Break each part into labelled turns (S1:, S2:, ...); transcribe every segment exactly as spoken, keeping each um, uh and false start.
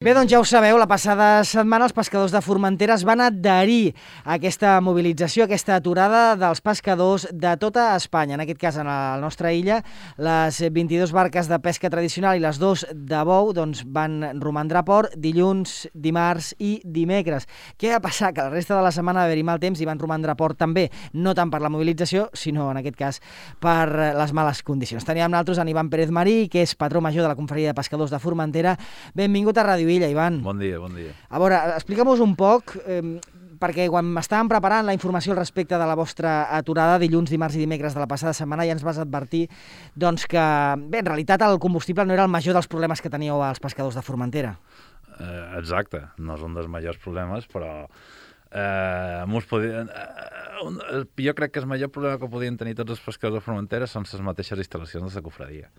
S1: Bé, doncs ja ho sabeu, la passada setmana els pescadors de Formentera es van adherir a aquesta mobilització, a aquesta aturada dels pescadors de tota Espanya. En aquest cas, en la nostra illa, les vint-i-dues barques de pesca tradicional i les dues de bou doncs, van romandre a port dilluns, dimarts i dimecres. Què va passar? Que la resta de la setmana va haver-hi mal temps i van romandre a port també, no tant per la mobilització, sinó en aquest cas per les males condicions. Teníem amb nosaltres en Ivan Pérez Marí, que és patró major de la Confraria de Pescadors de Formentera. Benvingut a Ràdio Illa, Ivan.
S2: Bon dia, bon dia.
S1: A veure, explica'm-nos un poc, eh, perquè quan estàvem preparant la informació al respecte de la vostra aturada dilluns, dimarts i dimecres de la passada setmana, ja ens vas advertir doncs, que, bé, en realitat el combustible no era el major dels problemes que teníeu els pescadors de Formentera.
S2: Eh, exacte, no és un dels majors problemes, però eh, podien, eh, un, jo crec que el major problema que podien tenir tots els pescadors de Formentera són les mateixes instal·lacions de la cofradia.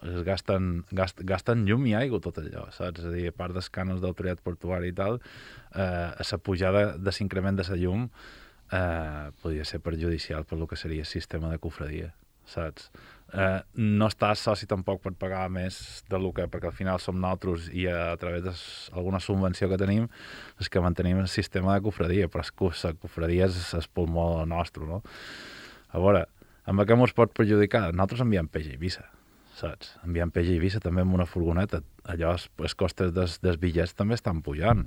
S2: Es gasten, gast, gasten llum i aigua tot allò, saps? És a dir, a part dels cànons d'autoritat portuària i tal, eh, la pujada de l'increment de la llum eh, podria ser perjudicial per lo que seria el sistema de cofradia, saps? Eh, no estàs soci tampoc per pagar més del que, perquè al final som nosaltres i a, a través d'alguna subvenció que tenim és que mantenim el sistema de cofradia, però la cofradia és el pulmó nostre, no? A veure, amb què ens pot perjudicar? Nosaltres enviem peix a Eivissa, saps? Enviant peix a Eivissa també amb una furgoneta. Allò, els costes dels, dels bitllets també estan pujant.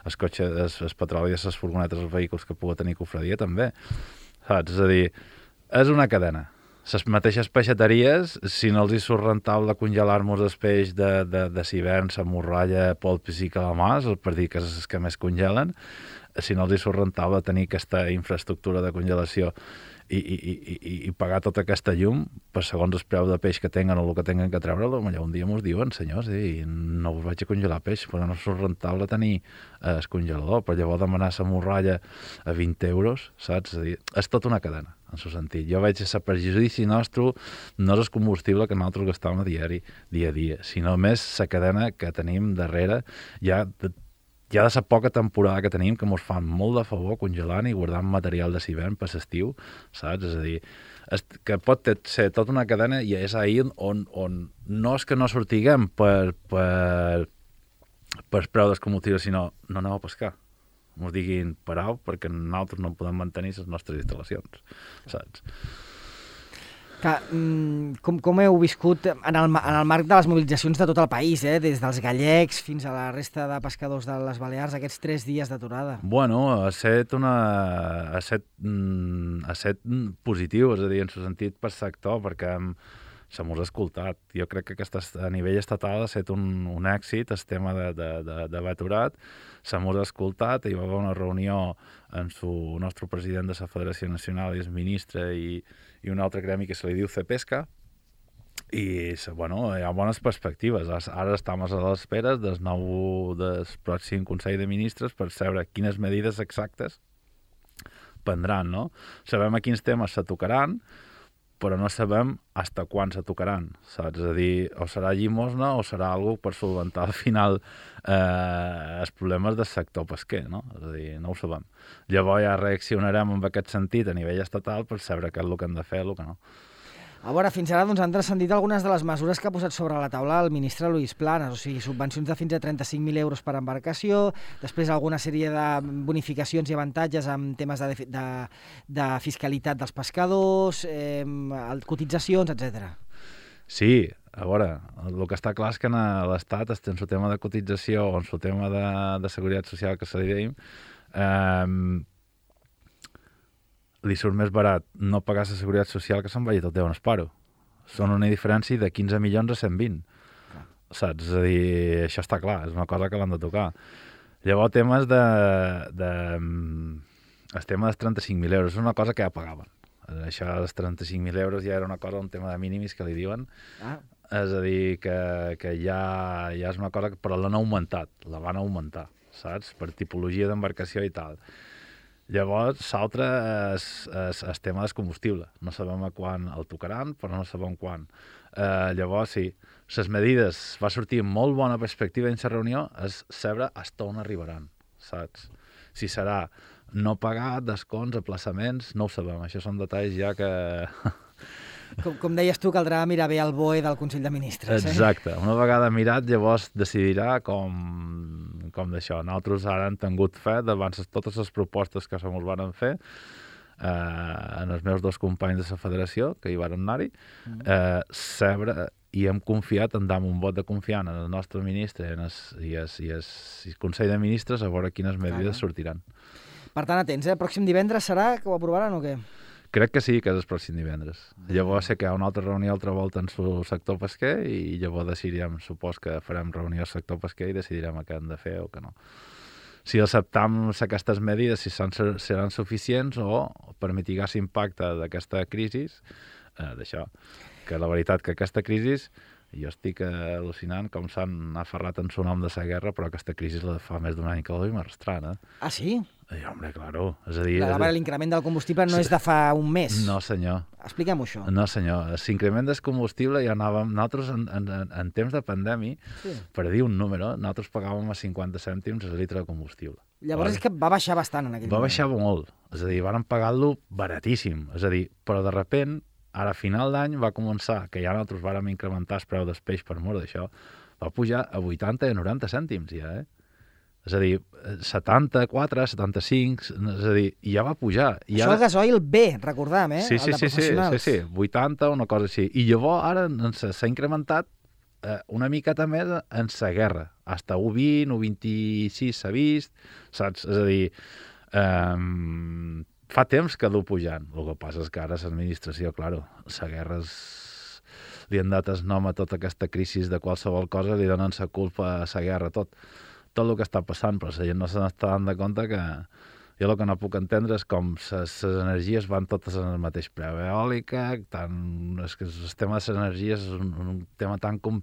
S2: Els cotxes, els, els petroli, les furgonetes, els vehicles que pugui tenir cofradia també, saps? És a dir, és una cadena. Les mateixes peixateries, si no els hi surt rentable congelar-nos el peix de, de, de civern, la morralla, polpis i calamars, per dir que és els que més congelen, si no els hi surt rentable tenir aquesta infraestructura de congelació i, i, i, i pagar tota aquesta llum per segons el preu de peix que tenen o el que tenen que treure, allà un dia mos diuen, senyors, eh, no us vaig a congelar peix, però no surt rentable tenir eh, el congelador, però llavors demanar la morralla a vint euros, saps? És a dir, és tota una cadena, en el sentit. Jo veig que el perjudici nostre no és el combustible que nosaltres gastem a diari, dia a dia, sinó més la cadena que tenim darrere, ja de Ja de la poca temporada que tenim, que ens fan molt de favor congelant i guardant material de civern per l'estiu, saps? És a dir, és, que pot ser tota una cadena i és ahir on, on no és que no sortiguem per, per, per preu del combustible, sinó no aneu a pescar. Ens diguin parau perquè nosaltres no podem mantenir les nostres instal·lacions, saps?
S1: Que, com, com heu viscut en el, en el marc de les mobilitzacions de tot el país, eh? Des dels gallecs fins a la resta de pescadors de les Balears, aquests tres dies d'aturada?
S2: Bueno, ha estat una... ha estat, ha estat positiu, és a dir, en el sentit per sector, perquè se mos ha escoltat. Jo crec que aquesta, a nivell estatal ha estat un, un èxit, el tema d'haver aturat, se mos ha escoltat, hi va haver una reunió amb el nostre president de la Federació Nacional i el ministre i, i un altre gremi que se li diu Cepesca, i bueno, hi ha bones perspectives. Ara estem a l'espera del nou del pròxim Consell de Ministres per saber quines medides exactes prendran, no? Sabem a quins temes se tocaran, però no sabem fins quan se tocaran, saps? És a dir, o serà llimosna o serà alguna per solventar al final eh, els problemes del sector pesquer, no? És a dir, no ho sabem. Llavors ja reaccionarem en aquest sentit a nivell estatal per saber què és el que hem de fer i el que no.
S1: A veure, fins ara doncs, han transcendit algunes de les mesures que ha posat sobre la taula el ministre Luis Planas, o sigui, subvencions de fins a trenta-cinc mil euros per embarcació, després alguna sèrie de bonificacions i avantatges en temes de, de, de fiscalitat dels pescadors, eh, cotitzacions, etcètera.
S2: Sí, a veure, el que està clar és que en l'Estat, en el tema de cotització o en el tema de, de seguretat social que se li deim, eh, li surt més barat no pagar la seguretat social que se'n vagi tot Déu en esparo. Són una diferència de quinze milions a cent vint. Clar. Saps? És a dir, això està clar, és una cosa que l'han de tocar. Llavors, temes de... de el tema dels trenta-cinc mil euros és una cosa que ja pagaven. Això dels trenta-cinc mil euros ja era una cosa, un tema de mínimis que li diuen. Ah. És a dir, que, que ja, ja és una cosa que... Però l'han augmentat, la van augmentar, saps? Per tipologia d'embarcació i tal. Llavors, l'altre és, és el tema del combustible. No sabem a quan el tocaran, però no sabem quan. Eh, llavors, sí, les medides, va sortir molt bona perspectiva en la reunió, és saber fins on arribaran, saps? Si serà no pagar, descons, aplaçaments, no ho sabem. Això són detalls ja que
S1: Com, com deies tu, caldrà mirar bé el B O E del Consell de Ministres.
S2: Exacte. Eh? Una vegada mirat, llavors decidirà com, com d'això. Nosaltres ara hem tingut fe davant totes les propostes que se mos van fer eh, en els meus dos companys de la federació, que hi van anar-hi, eh, sebre, i hem confiat en dar un vot de confiança en el nostre ministre i en el, i el, i el, i el Consell de Ministres a veure quines medides sortiran.
S1: Per tant, atents, eh? Pròxim divendres serà que ho aprovaran o què?
S2: Crec que sí, que és el pròxim divendres. Llavors sé que hi ha una altra reunió altra volta en el sector pesquer i llavors decidirem, supos que farem reunió al sector pesquer i decidirem què hem de fer o què no. Si acceptam aquestes medides, si són, seran suficients o per mitigar l'impacte d'aquesta crisi, eh, d'això, que la veritat que aquesta crisi, jo estic al·lucinant com s'han aferrat en su nom de la guerra, però aquesta crisi la fa més d'un any que la duim arrastrant, eh?
S1: Ah, sí?
S2: I, home, claro. És a dir...
S1: L'increment del combustible no és de fa un mes.
S2: No, senyor.
S1: Expliquem-ho, això.
S2: No, senyor. L'increment del combustible ja anàvem... Nosaltres, en, en, en temps de pandèmia, sí. Per dir un número, nosaltres pagàvem a cinquanta cèntims el litre de combustible.
S1: Llavors vale? És que va baixar bastant en aquell
S2: va
S1: moment.
S2: Va baixar molt. És a dir, vàrem pagar-lo baratíssim. És a dir, però de repent, ara a final d'any va començar, que ja nosaltres vàrem incrementar el preu del peix per mort d'això, va pujar a vuitanta i noranta cèntims ja, eh? És a dir, setanta-quatre, setanta-cinc, és a dir, ja va pujar. I
S1: això
S2: ara...
S1: el gasoil B, recordam, eh?
S2: Sí, sí,
S1: el de
S2: sí,
S1: professionals.
S2: sí, sí, sí, vuitanta, una cosa així. I llavors ara s'ha incrementat eh, una miqueta més en la guerra. Hasta u vint, u vint-i-sis s'ha vist, saps? És a dir, eh, fa temps que du pujant. El que passa és que ara l'administració, claro, la guerra és... li han dat el nom a tota aquesta crisi de qualsevol cosa, li donen la culpa a la guerra, tot. tot el que està passant, però la gent no se n'està dant de compte que jo el que no puc entendre és com les energies van totes en el mateix preu. Eòlica, tant... és que el tema de les energies és un, un tema tan com...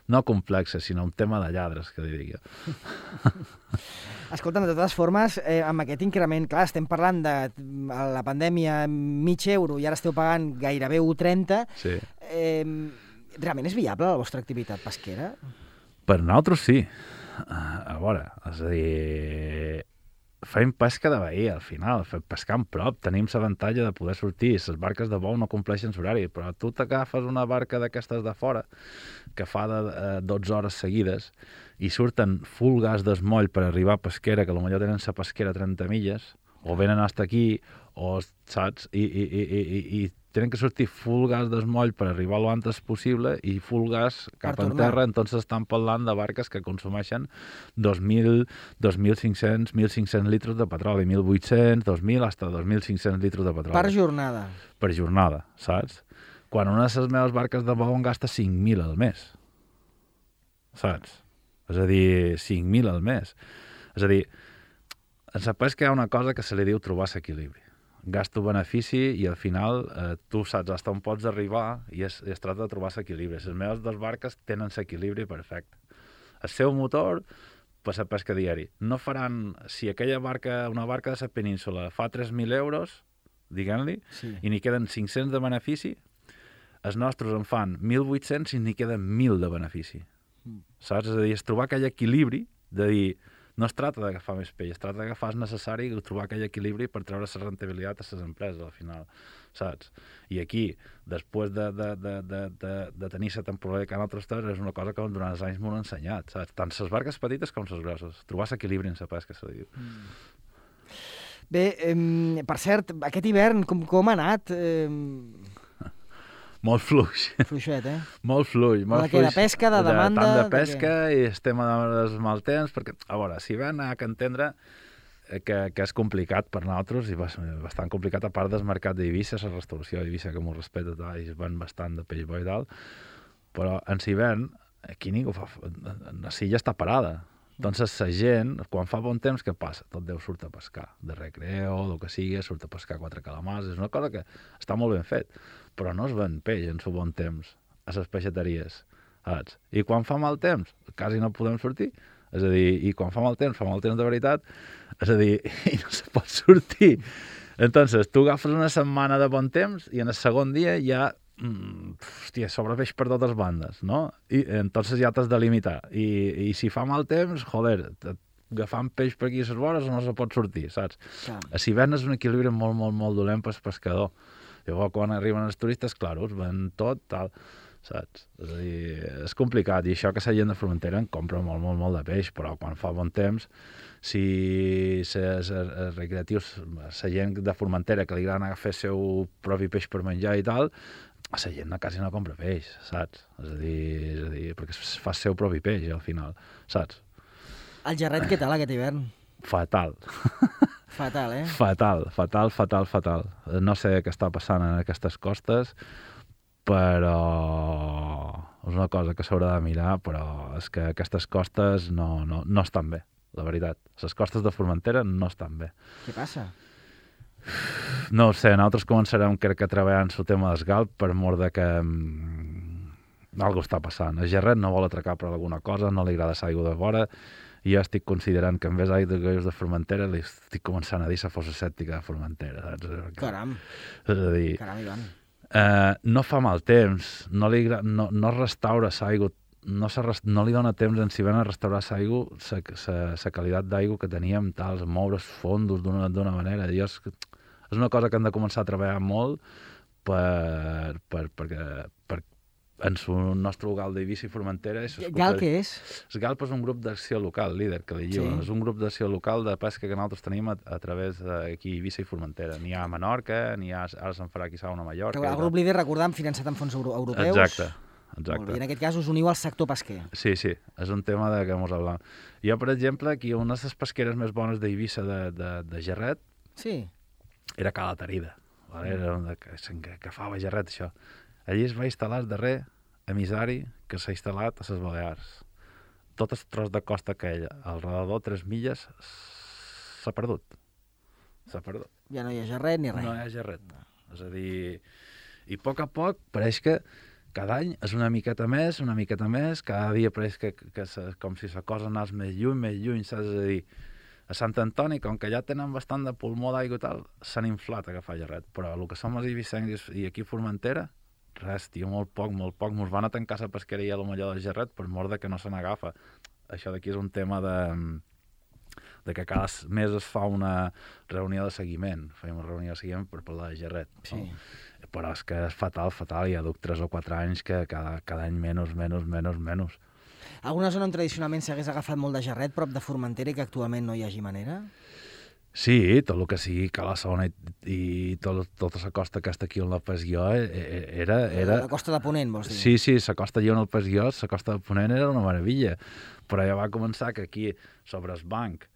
S2: no complex, sinó un tema de lladres, que li dic jo.
S1: Escolta'm, de totes formes, eh, amb aquest increment, clar, estem parlant de la pandèmia mig euro i ara esteu pagant gairebé u coma trenta.
S2: Sí.
S1: Eh, realment és viable la vostra activitat pesquera?
S2: Per nosaltres sí. A veure, és a dir, fem pesca de bahia, al final, fem pescar en prop, tenim l'avantatge de poder sortir, les barques de bou no compleixen l'horari, però tu t'agafes una barca d'aquestes de fora, que fa de eh, dotze hores seguides, i surten full gas d'esmoll per arribar a pesquera, que potser tenen la pesquera a trenta milles, o venen hasta aquí, o saps, i, i, i, i, i tenen que sortir full gas d'esmoll per arribar lo antes possible i full gas cap en terra, entonces estan parlant de barques que consumeixen dos mil, dos mil cinc-cents, mil cinc-cents litres de petroli, mil vuit-cents, dos mil, hasta dos mil cinc-cents litres de petroli.
S1: Per jornada.
S2: Per jornada, saps? Quan una de les meves barques de bou en gasta cinc mil al mes. Saps? És a dir, cinc mil al mes. És a dir, en la pesca hi ha una cosa que se li diu trobar l'equilibri. Gasto-benefici i al final eh, tu saps fins on pots arribar i es, es tracta de trobar l'equilibri. Les meves dues barques tenen l'equilibri perfecte. El seu motor per la pesca diari. No faran, si aquella barca, una barca de la península fa tres mil euros, diguem-li, sí. I n'hi queden cinc-cents de benefici, els nostres en fan mil vuit-cents i n'hi queden mil de benefici. Mm. Saps? És a dir, és trobar aquell equilibri de dir, no es tracta d'agafar més peix, es tracta d'agafar el necessari i trobar aquell equilibri per treure la rentabilitat a les empreses al final, saps? I aquí, després de, de, de, de, de, de tenir la temporada que en altres terres, és una cosa que durant els anys m'ho han ensenyat, saps? Tant les barques petites com les grosses, trobar l'equilibri en la pesca, se diu. Mm.
S1: Bé, eh, per cert, aquest hivern com, com ha anat? Eh...
S2: Molt fluix.
S1: Fluixet, eh?
S2: Molt fluix. Molt
S1: de, de pesca, de demanda...
S2: De, tant de pesca de i el tema dels mal temps, perquè, a veure, si ven ha que entendre que, que és complicat per nosaltres i bastant complicat, a part del mercat d'Eivissa, la restauració d'Eivissa, que m'ho respecta, i es ven bastant de peix bo i tal, però en l'hivern, aquí ningú fa... La silla està parada. Entonces, la gent, quan fa bon temps, què passa? Tot Déu surt a pescar, de recreo, el que sigui, surt a pescar quatre calamars, és una cosa que està molt ben fet, però no es ven peix en su bon temps a les peixateries, saps? I quan fa mal temps, quasi no podem sortir, és a dir, i quan fa mal temps, fa mal temps de veritat, és a dir, i no se pot sortir. Entonces, tu agafes una setmana de bon temps i en el segon dia ja Mm, hòstia, sobrepeix per totes bandes, no? I entonces ja t'has de limitar. I, i si fa mal temps, joder, agafant peix per aquí a les vores no se pot sortir, saps? Clar. A l'hivern és un equilibri molt, molt, molt dolent pel pescador. Llavors, quan arriben els turistes, clar, us ven tot, tal, saps? És a dir, és complicat, i això que la gent de Formentera en compra molt, molt, molt de peix, però quan fa bon temps, si els recreatius, la gent de Formentera que li agrada anar a fer el seu propi peix per menjar i tal, la gent quasi no compra peix, saps? És a dir, és a dir perquè fa el seu propi peix, al final, saps?
S1: El gerret, què tal aquest hivern?
S2: Fatal.
S1: Fatal, eh?
S2: Fatal, fatal, fatal, fatal. No sé què està passant en aquestes costes, però és una cosa que s'haurà de mirar, però és que aquestes costes no, no, no estan bé, la veritat. Les costes de Formentera no estan bé.
S1: Què passa?
S2: No ho sé, nosaltres començarem crec que treballant el tema d'esgalp per mort de que mm, algo està passant. El gerret no vol atracar per alguna cosa, no li agrada l'aigua de vora, i jo estic considerant que en vez d'aigua de Formentera li estic començant a dir la fossa sèptica de Formentera. Saps?
S1: Caram.
S2: És a dir,
S1: Caram, Ivan.
S2: Eh, no fa mal temps, no, li, no, no restaura l'aigua, no, no li dona temps en si ven a restaurar l'aigua, la qualitat d'aigua que teníem, tal, moure els fondos d'una manera. Jo, és, és una cosa que hem de començar a treballar molt per, per, perquè, per, en el nostre local d'Eivissa i Formentera.
S1: Gal què és?
S2: El Galp és un grup d'acció local, líder, que li diuen. Sí. És un grup d'acció local de pesca que nosaltres tenim a, a través d'aquí Eivissa i Formentera. N'hi ha a Menorca, n'hi ha, ara se'n farà quizà una a Mallorca.
S1: El grup líder, recordam, finançat amb fons euro europeus.
S2: Exacte. Exacte.
S1: Molt bé. I en aquest cas us uniu al sector pesquer.
S2: Sí, sí, és un tema de què mos parlem. Jo, per exemple, aquí una de les pesqueres més bones d'Eivissa de, de, de gerret
S1: sí.
S2: era Cala Tarida. Vale? Era una que, que, que fa gerret, això. Allí es va instal·lar el darrer emissari que s'ha instal·lat a les Balears. Tot el tros de costa aquell, al redador tres milles, s'ha perdut. S'ha perdut.
S1: Ja no hi ha gerret ni res.
S2: No hi ha gerret. No. És a dir, i a poc a poc pareix que cada any és una miqueta més, una miqueta més, cada dia pareix que, que, que com si la cosa anés més lluny, més lluny, saps? És a dir, a Sant Antoni, com que ja tenen bastant de pulmó d'aigua i tal, s'han inflat a agafar gerret, però el que som els eivissencs i aquí a Formentera, res, tio, molt poc, molt poc. Mos van a tancar la pesqueria a lo millor del gerret per mort de que no se n'agafa. Això d'aquí és un tema de, de que cada mes es fa una reunió de seguiment. Fem una reunió de seguiment per parlar de gerret.
S1: Sí.
S2: No? Però és que és fatal, fatal. Ja duc tres o quatre anys que cada, cada any menys, menys, menys, menys.
S1: Alguna zona on tradicionalment s'hagués agafat molt de gerret, prop de Formentera, i que actualment no hi hagi manera?
S2: Sí, tot el que sigui Cala-sona i, i tot, tota la costa que està aquí on la Pesguió era, era...
S1: La costa de Ponent, vols dir?
S2: Sí, sí, la costa allà on el Pesguió, la costa de Ponent era una meravella, però ja va començar que aquí, sobre el banc,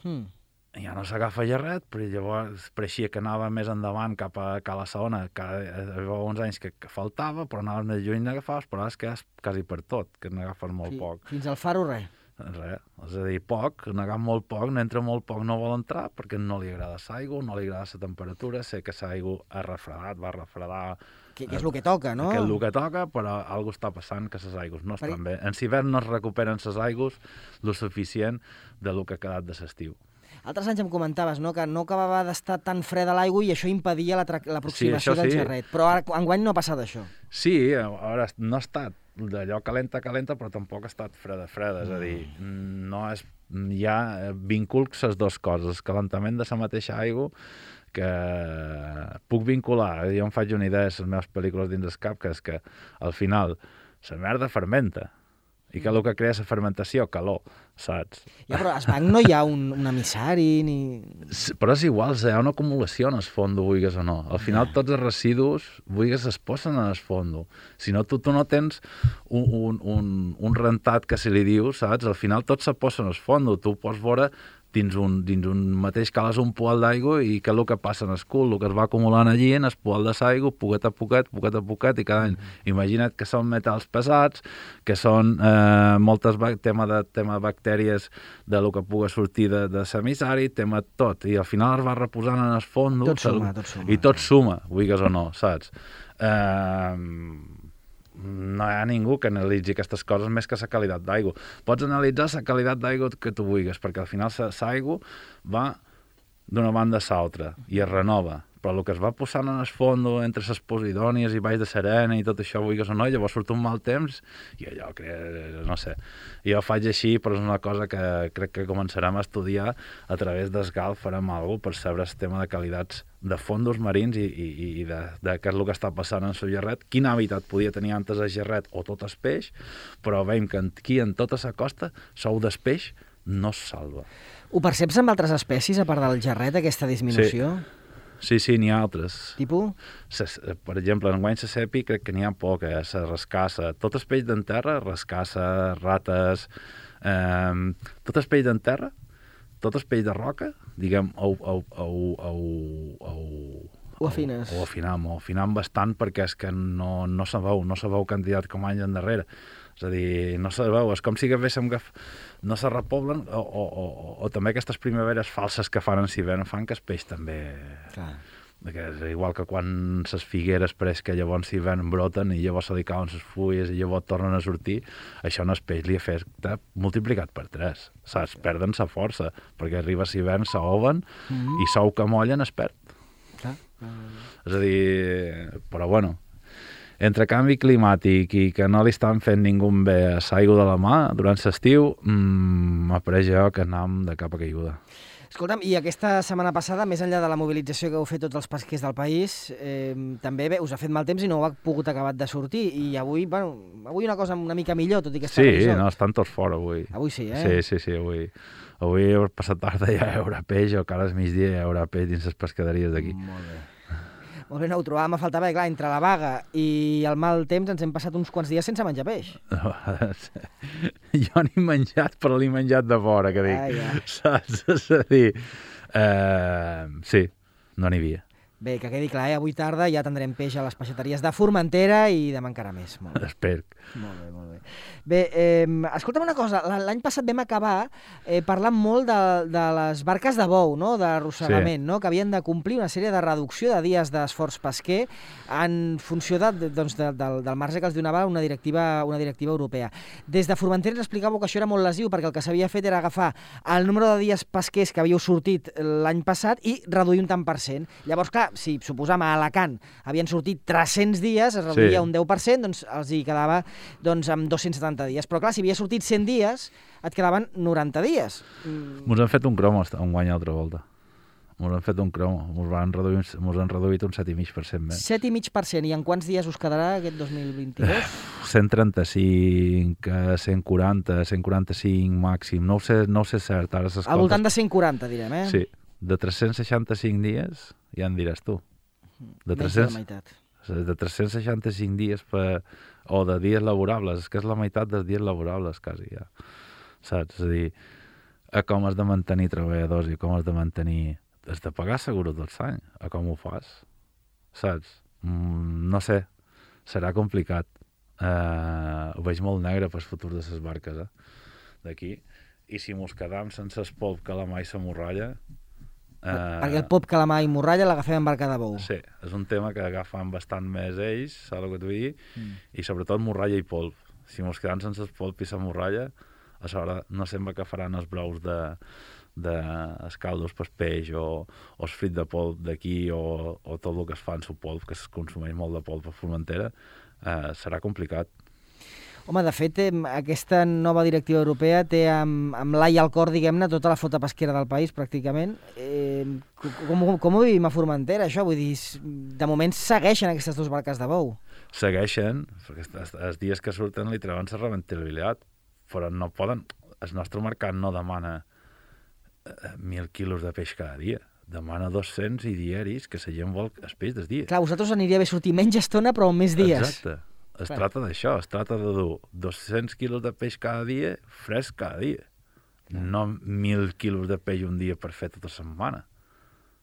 S2: hmm. ja no s'agafa gerret, però llavors pareixia que anava més endavant cap a Cala-sona, que hi havia uns anys que, que faltava, però anaves més lluny n'agafaves, però ara és que és quasi per tot, que n'agafes molt
S1: sí.
S2: poc.
S1: Fins al faro, res.
S2: Res, és a dir, poc, n'agafa molt poc, n'entra molt poc, no vol entrar perquè no li agrada l'aigua, no li agrada la temperatura, sé que l'aigua ha refredat, va refredar...
S1: Que, que és el que toca, no?
S2: Que és el que toca, però alguna està passant que les aigües no estan bé. En l'hivern no es recuperen les aigües el suficient de lo que ha quedat de l'estiu.
S1: Altres anys em comentaves, no?, que no acabava d'estar tan freda l'aigua i això impedia l'aproximació
S2: sí,
S1: del
S2: sí.
S1: gerret. Però ara, enguany no ha passat això.
S2: Sí, ara no ha estat d'allò calenta, calenta, però tampoc ha estat freda, freda. És a dir, no és, hi ha vinculcs les dues coses. El calentament de la mateixa aigua, que puc vincular, jo em faig una idea de les meves pel·lícules dins el cap, que és que al final la merda fermenta. I que el que crea la fermentació? Calor, saps?
S1: Ja, però al banc no hi ha un, un emissari ni...
S2: Però és igual, hi ha una acumulació en el fondo, vulguis o no. Al final ja. Tots els residus, vulguis, es posen en el fondo. Si no, tu, tu no tens un, un, un, un rentat que se li diu, saps? Al final tot se posa en el fondo. Tu pots veure dins un, dins un mateix cales un poal d'aigua i què és el que passa en el cul, el que es va acumulant allí en el poal de l'aigua, poquet a poquet, poquet a poquet, i cada any. Mm. Imagina't que són metals pesats, que són eh, moltes tema de, tema de bactèries de lo que pugui sortir de, de l'emissari, tema tot, i al final es va reposant en el fons.
S1: Tot suma, tot suma.
S2: I tot suma, vulguis o no, saps? Eh... no hi ha ningú que analitzi aquestes coses més que la qualitat d'aigua. Pots analitzar la qualitat d'aigua que tu vulguis, perquè al final l'aigua va d'una banda a l'altra i es renova, però el que es va posant en el fons entre les Posidònies i Valls de Serena i tot això, vulguis o no, llavors surt un mal temps i allò, crec, no sé, jo faig així, però és una cosa que crec que començarem a estudiar a través d'Esgal, farem alguna cosa per saber el tema de qualitats de fondos marins i, i, i de, de què és el que està passant en el gerret, quin hàbitat podia tenir antes el gerret o tot el peix, però veiem que aquí en tota la costa sou del peix no es salva.
S1: Ho perceps amb altres espècies, a part del gerret, aquesta disminució?
S2: Sí, sí, sí n'hi ha altres.
S1: Tipus?
S2: Ses, per exemple, en guany sepi crec que n'hi ha poc, eh? La rascassa, tot el peix d'en terra, rascassa, rates, eh, tot el peix d'en terra, tot el peix de roca, diguem, ho, ho, ho, ho, ho,
S1: ho afines.
S2: Ho, ho afinam, ho afinam bastant perquè és que no, no se veu, no se veu candidat com anys endarrere. És a dir, no se veu, és com si haguéssim que no se repoblen, o, o, o, o també aquestes primaveres falses que fan en hivern fan que el peix també...
S1: Clar.
S2: Que és igual que quan les figueres pareix que llavors l'hivern broten i llavors se li cauen les fulles i llavors tornen a sortir, això en el peix li afecta multiplicat per tres, saps? Perden sa força, perquè arriba l'hivern, s'oven mm -hmm. i sou que mollen es perd.
S1: Clar. Mm.
S2: És a dir, però bueno, entre canvi climàtic i que no li estan fent ningú bé a l'aigua de la mà durant l'estiu, mmm, m'apareix jo que anam de cap a caiguda.
S1: Escolta'm, i aquesta setmana passada, més enllà de la mobilització que heu fet tots els pesquers del país, eh, també bé, us ha fet mal temps i no heu pogut acabar de sortir. I avui, bueno, avui una cosa una mica millor, tot i que està
S2: Sí,
S1: revisor.
S2: no, estan tots fora avui.
S1: Avui sí, eh?
S2: Sí, sí, sí, avui. Avui, passat tarda, ja hi haurà peix, o cara al migdia hi haurà peix dins les pescaderies d'aquí.
S1: Molt bé. Molt bé, no ho trobàvem a faltar bé, clar, entre la vaga i el mal temps ens hem passat uns quants dies sense menjar peix.
S2: Jo n'he menjat, però l'he menjat de fora, que dic.
S1: Ah, ja.
S2: Saps? És a dir, eh, sí, no n'hi havia.
S1: Bé, que quedi clar, eh? Avui tarda ja tindrem peix a les peixateries de Formentera i demà encara més. Molt bé.
S2: Espero.
S1: Molt bé, molt bé. Bé, eh, escolta'm una cosa, l'any passat vam acabar eh, parlant molt de, de les barques de bou, no?, d'arrossegament, sí. no?, que havien de complir una sèrie de reducció de dies d'esforç pesquer en funció de, doncs, de, de, del marge que els donava una directiva, una directiva europea. Des de Formentera ens explicàveu que això era molt lesiu perquè el que s'havia fet era agafar el número de dies pesquers que havíeu sortit l'any passat i reduir un tant per cent. Llavors, clar, si suposam a Alacant havien sortit tres-cents dies, es reduïa sí. un deu per cent, doncs els hi quedava doncs, amb dos-cents setanta dies. Però clar, si havia sortit cent dies, et quedaven noranta dies.
S2: Mm. Mos han fet un cromo un guany altra volta. Mos han fet un cromo. Mos han reduït, mos han reduït un set coma cinc per cent més.
S1: set coma cinc per cent. I en quants dies us quedarà aquest dos mil vint-i-dos?
S2: cent trenta-cinc, cent quaranta, cent quaranta-cinc màxim. No ho sé, no ho sé cert. Ara
S1: Al voltant de cent quaranta, direm, eh?
S2: Sí. De tres-cents seixanta-cinc dies, ja en diràs tu. De
S1: Menys de la meitat.
S2: De tres-cents seixanta-cinc dies per, o de dies laborables, és que és la meitat dels dies laborables, quasi, ja. Saps? És a dir, a com has de mantenir treballadors i com has de mantenir... Has de pagar seguro tot l'any, a com ho fas, saps? Mm, no sé, serà complicat. Uh, ho veig molt negre pel futur de les barques, eh? D'aquí. I si mos quedam sense el polp que la mai s'amorralla...
S1: Uh, Perquè el pop calamar i morralla l'agafem en barca de bou.
S2: Sí, és un tema que agafen bastant més ells, saps el que t'ho vull dir? Mm. I sobretot morralla i polp. Si mos quedam sense el polp i la morralla, a sobre no sembla que faran els brous de, de escaldos per peix o, o el frit de polp d'aquí o, o tot el que es fa en su polp, que es consumeix molt de polp a Formentera, eh, serà complicat.
S1: Home, de fet, aquesta nova directiva europea té amb, amb l'ai al cor, diguem-ne, tota la flota pesquera del país, pràcticament. Eh, com, com ho vivim a Formentera, això? Vull dir, de moment segueixen aquestes dues barques de bou.
S2: Segueixen, perquè els dies que surten li treuen la rentabilitat, però no poden... El nostre mercat no demana mil quilos de peix cada dia. Demana dos-cents i diaris, que la gent vol el peix del dia.
S1: Clar, a vosaltres aniria bé sortir menys estona, però amb més dies.
S2: Exacte. Es Clar. tracta d'això, es tracta de dur dos-cents quilos de peix cada dia, fresc cada dia. Clar. No mil quilos de peix un dia per fer tota setmana.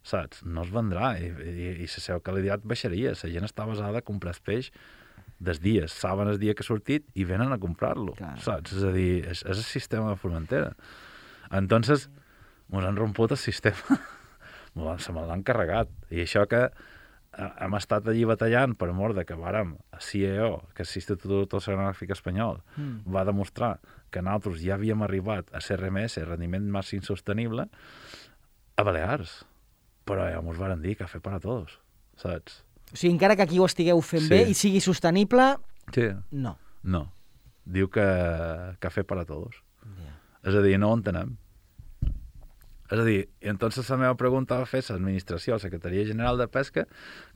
S2: Saps? No es vendrà i, i, i la seva qualitat baixaria. La gent està basada a comprar el peix des dies, saben el dia que ha sortit i venen a comprar-lo. Saps? És a dir, és, és el sistema de Formentera. Entonces, mos han romput el sistema. Se me l'han carregat. I això que hem estat allí batallant per mort de que vàrem, a C I E O, que és l'Institut Oceanogràfic Espanyol, mm. va demostrar que nosaltres ja havíem arribat a C R M S, rendiment màxim sostenible, a Balears. però ja mos varen dir cafè per a tots, saps?
S1: O sigui, encara que aquí ho estigueu fent
S2: Sí.
S1: bé i sigui sostenible,
S2: Sí.
S1: no.
S2: No. Diu que cafè per a tots.
S1: Yeah.
S2: És a dir, no ho entenem. És a dir, i entonces la meva pregunta va fer l'administració, la Secretaria General de Pesca,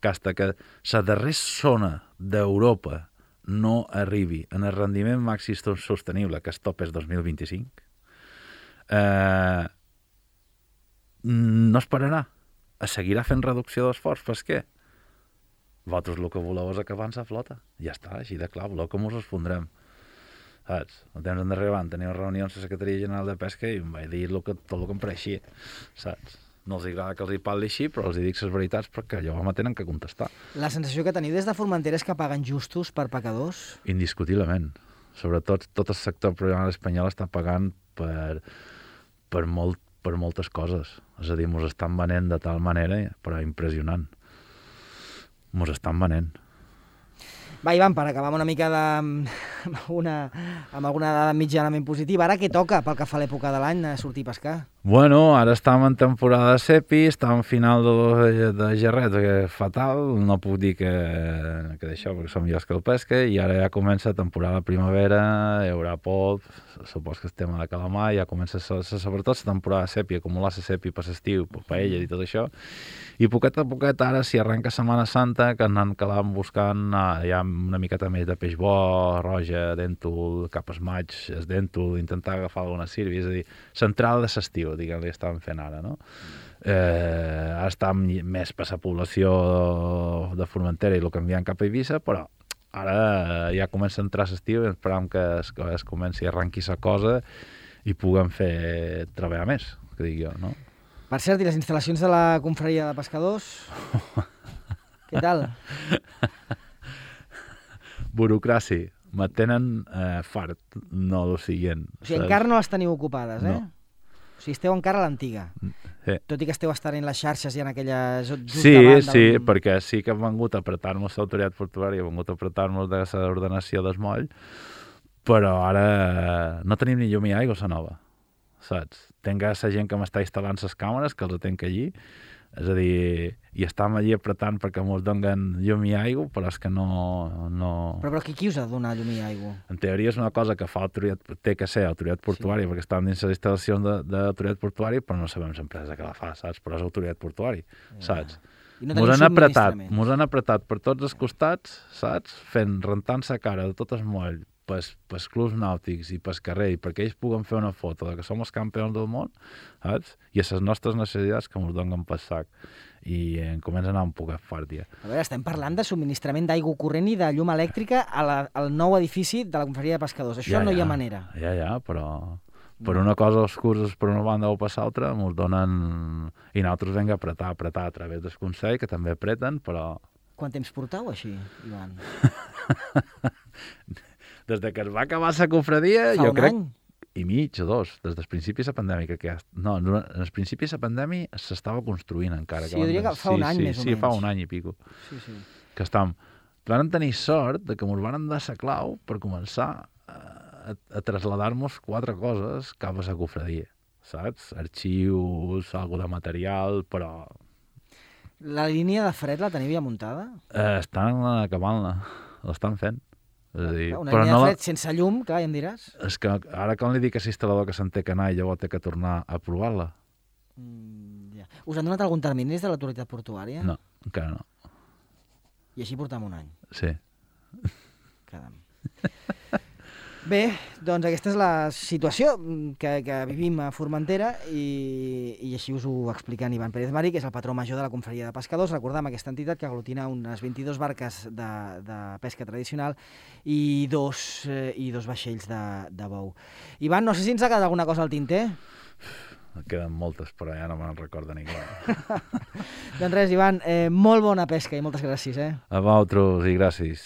S2: que hasta que la darrera zona d'Europa no arribi en el rendiment màxim sostenible, que es top és dos mil vint-i-cinc, eh, no esperarà. Es seguirà fent reducció d'esforç pesquer. Vosaltres el que voleu és acabar amb la flota. Ja està, així de clar, voleu que mos respondrem. Saps? El temps endarrere van tenir reunions a la Secretaria General de Pesca i em vaig dir lo que, tot el que em pareixia. Saps? No els agrada que els hi parli així, però els hi dic les veritats perquè llavors me tenen que contestar.
S1: La sensació que teniu des de Formentera és que paguen justos per pecadors?
S2: Indiscutiblement. Sobretot tot el sector professional espanyol està pagant per, per, molt, per moltes coses. És a dir, mos estan venent de tal manera, però impressionant. Mos estan venent.
S1: Va, Ivan, per acabar amb una mica de... amb, una, amb alguna dada mitjanament positiva. Ara què toca pel que fa a l'època de l'any a sortir a pescar?
S2: Bueno, ara estem en temporada de sepi, estem en final de, de gerret, que és fatal, no puc dir que, que d'això, perquè som millors que el pesca, i ara ja comença temporada de primavera, hi haurà pop, supos que el tema de calamar, ja comença sobretot la temporada de sepi, acumular la sepi per l'estiu, per paella i tot això, i poquet a poquet ara, si arrenca Setmana Santa, que anem calant buscant ah, ja una miqueta més de peix bo, roja, dèntul, cap es maig, es dèntul, intentar agafar alguna sirvi, és a dir, central de l'estiu, diguem-li, estàvem fent ara, no? Eh, ara estàvem més per la població de Formentera i el canviant cap a Eivissa, però ara ja comença a entrar l'estiu i esperam que es, que es comenci a arrenquir la cosa i puguem fer treballar més, que dic jo, no?
S1: Per cert, i les instal·lacions de la confraria de pescadors? Què tal?
S2: Burocràcia. Me tenen eh, fart, no el siguient.
S1: O sigui, encara no les teniu ocupades, eh?
S2: No.
S1: O sigui, esteu encara a l'antiga.
S2: Sí.
S1: Tot i que esteu estant en les xarxes i en aquella... Just
S2: Sí,
S1: davant
S2: sí,
S1: del...
S2: perquè sí que han vengut a apretar-nos l'autoritat portuària, han vengut a apretar-nos de l'ordenació del moll, però ara no tenim ni llum i aigua a la nova, saps? Tenc la gent que m'està instal·lant les càmeres, que els tenc allí, és a dir, i estem allí apretant perquè ens donen llum i aigua, però és que no... no...
S1: Però, però qui, qui us ha de donar llum i aigua?
S2: En teoria és una cosa que fa autoritat, té que ser autoritat portuària, sí. Perquè estan dins les instal·lacions d'autoritat portuària, però no sabem l'empresa que la fa, saps? Però és autoritat portuària, ja. Saps?
S1: I no
S2: mos han apretat,
S1: subministraments.
S2: mos han apretat per tots els costats, saps? Fent, rentant sa cara de tot el moll, pels, pels clubs nàutics i pels carrer, i perquè ells puguen fer una foto de que som els campions del món, saps? I a les nostres necessitats que ens donen pel sac. I em comença a anar un poc fort, ja.
S1: A veure, estem parlant de subministrament d'aigua corrent i de llum elèctrica a la, al nou edifici de la confraria de pescadors. Això
S2: ja,
S1: no
S2: ja.
S1: hi ha manera.
S2: Ja, ja, però... Per una cosa els cursos per una banda o per l'altra ens donen... I nosaltres hem d'apretar, apretar a través del Consell, que també apreten, però...
S1: Quant temps portau així, Ivan?
S2: Des de que es va acabar la confradia,
S1: Fa
S2: jo
S1: un
S2: crec...
S1: any?
S2: I mig o dos, des dels principis de la pandèmia. Que... No, en els principis de la pandèmia s'estava construint encara.
S1: Sí, jo diria que fa
S2: sí,
S1: un any
S2: sí,
S1: més o
S2: sí,
S1: menys.
S2: Sí, fa un any i pico.
S1: Sí, sí.
S2: Que estam... Vam tenir sort de que ens van dar la clau per començar a, a traslladar-nos quatre coses cap a la confradia, saps? Arxius, algo de material, però...
S1: La línia de fred la teniu ja muntada?
S2: Eh, estan acabant-la, l'estan fent. És a dir,
S1: Una
S2: però
S1: línia
S2: no
S1: de
S2: la...
S1: fred sense llum, clar, ja em diràs.
S2: És que ara quan li dic a l'instal·lador que se'n té que anar i llavors té que tornar a provar-la?
S1: Mm, ja. Us han donat algun termini des de l'autoritat portuària?
S2: No, encara no.
S1: I així portam un any.
S2: Sí.
S1: Caram. Bé, doncs aquesta és la situació que, que vivim a Formentera i, i així us ho explica en Ivan Pérez Mari, que és el patró major de la confraria de pescadors. Recordem aquesta entitat que aglutina unes vint-i-dues barques de, de pesca tradicional i dos, eh, i dos vaixells de, de bou. Ivan, no sé si ens ha quedat alguna cosa al tinter?
S2: En queden moltes, però ja no me'n recorda ningú.
S1: Doncs res, Ivan, eh, molt bona pesca i moltes gràcies. Eh?
S2: A vosaltres i gràcies.